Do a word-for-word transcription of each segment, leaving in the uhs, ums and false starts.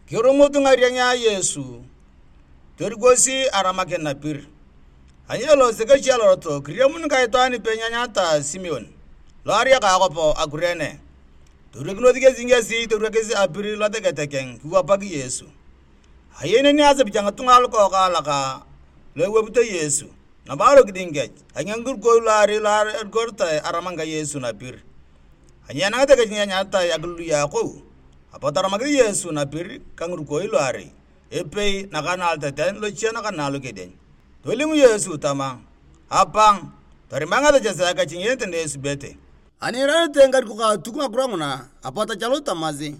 Kirumut ngarieng a Yesu, torikosi aramakin napir. Ani elosi kesi alorot, kiriamun ka itwaan ipei nyanyata Simeon, lo ariaka akwap a Kurene. Torikinos kesi ngesi toriakis apir losegete keng kiwapak Yesu. Ayei neni asepich a ngitunga lukookaalak lu ewapito Yesu. Nabo alokiding kech, angea ngirukoi luarei lu erigoritae aramang ka Yesu napir. Ani enangete kech ni enyaritae akilului a akou, apot aramakis Yesu napir ka ngirukoi luarei, epei naka na aloteten lochie naka na alokedieny. Tolim Yesu tama, "Apang, torima ngasechesea kech ngiyenete na esubete." Ani iirarete ngikarikok a Atuk ngakiro nguna, apot achalut tamasi,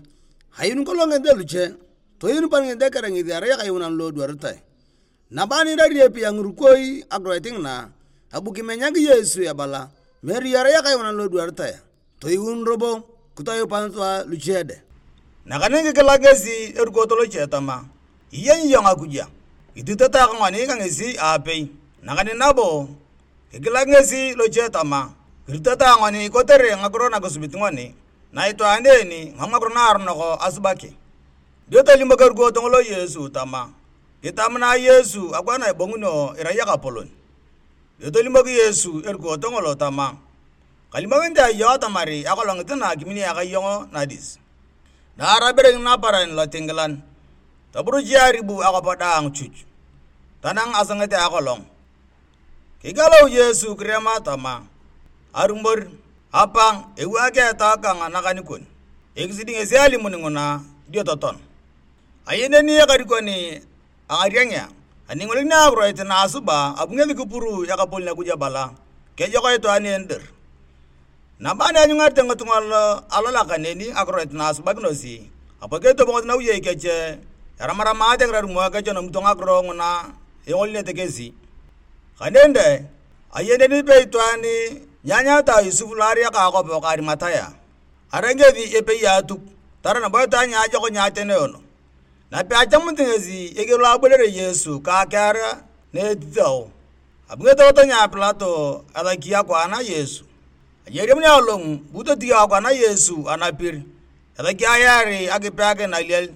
"Ayuun kolong ngiyenete luche, toyuun pan ngiyenete kere ngesi erai akayuunan lo edwaritae." Nabo ani iirari epei a ngirukoi akiroit ngina, abu kimenyak Yesu ebala, "Meru erai akayuunan lo edwaritae, toyuun robo kitoyupan sua luche de." Nakaneni kikilak ngesi erukot loche tama, "Iyenyi iyong Akuj a? Ititata ka ngoni ka ngesi aapei." Nakaneni nabo kikilak ngesi loche tama, "Kiritata ngoni kotere ngakiro na kisubit ngoni, na itwaan en mam ngakiro naaronok asubaki." Dio tolimok erukot ngolo Yesu tama, "Kitamuna Yesu akwaana ebongunio irai ekapolon." Dio tolimok Yesu erukot ngolo tama, "Kalimokinit ayong iyong atamar akolongit na akimini aka iyong nadis." Na araberekin naparan lotingilan, toburuchi aribu akwap daang chuch, tanang asonget a akolong. Kigalau Yesu kirema tama, "Arumor, apang, ewaak etau kang nakan kon." Ekisidi ngesi alimun nguna, dio toton. Ayei neni ekarikon a ngariengea, ani ingolikinea akiroit na asuba, abu ngesi kipuru Ekapolon Akuj ebala, "Kejok itwaan en dir." Nabo ani anyungarete ngitunga lo alolak neni akiroit na asubakinosi, apot ketobongosi nawiyei kech, eramaramaate ngirarumo kech enomito ngakiro nguna engolinete kesi. Kaneni dai, ayeni neni ipei itwaan ni anyaritae Yosep lo ariaka akwap ka Arimataya. Arai ngesi epei a Atuk, tarai nabo itwaan niajokon ni ateneono. Nape achamunit ngesi eger lo aboliare Yesu ka akiar na etitao, abu ngesi tolot nia Pilato esaki akwaan a Yesu. Ani eriamun along, bu totiyo akwaan a Yesu anapir, esaki ayaar akipeakin aliel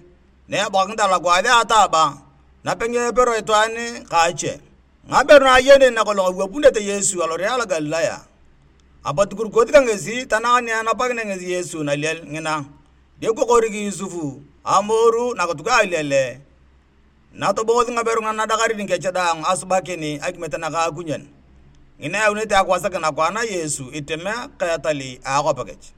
na ebokakinit alokwaas a ataba, "Nape nyepero itwaan ka ache?" Ngaberu na ayenun nakolong awapunete Yesu alore alo Galilaya, apot kirukot ka ngesi tanang ni enapakinea ngesi Yesu naliel ngina. Dio kikorik Yosep amoru nakituk a aliel, na tobongosi ngaberu nguna nadakarin kech daang asubakin akimiet naka akunyen. Ngina eyaunete akwasakin akwaan a Yesu itemea ka etal a akwap kech.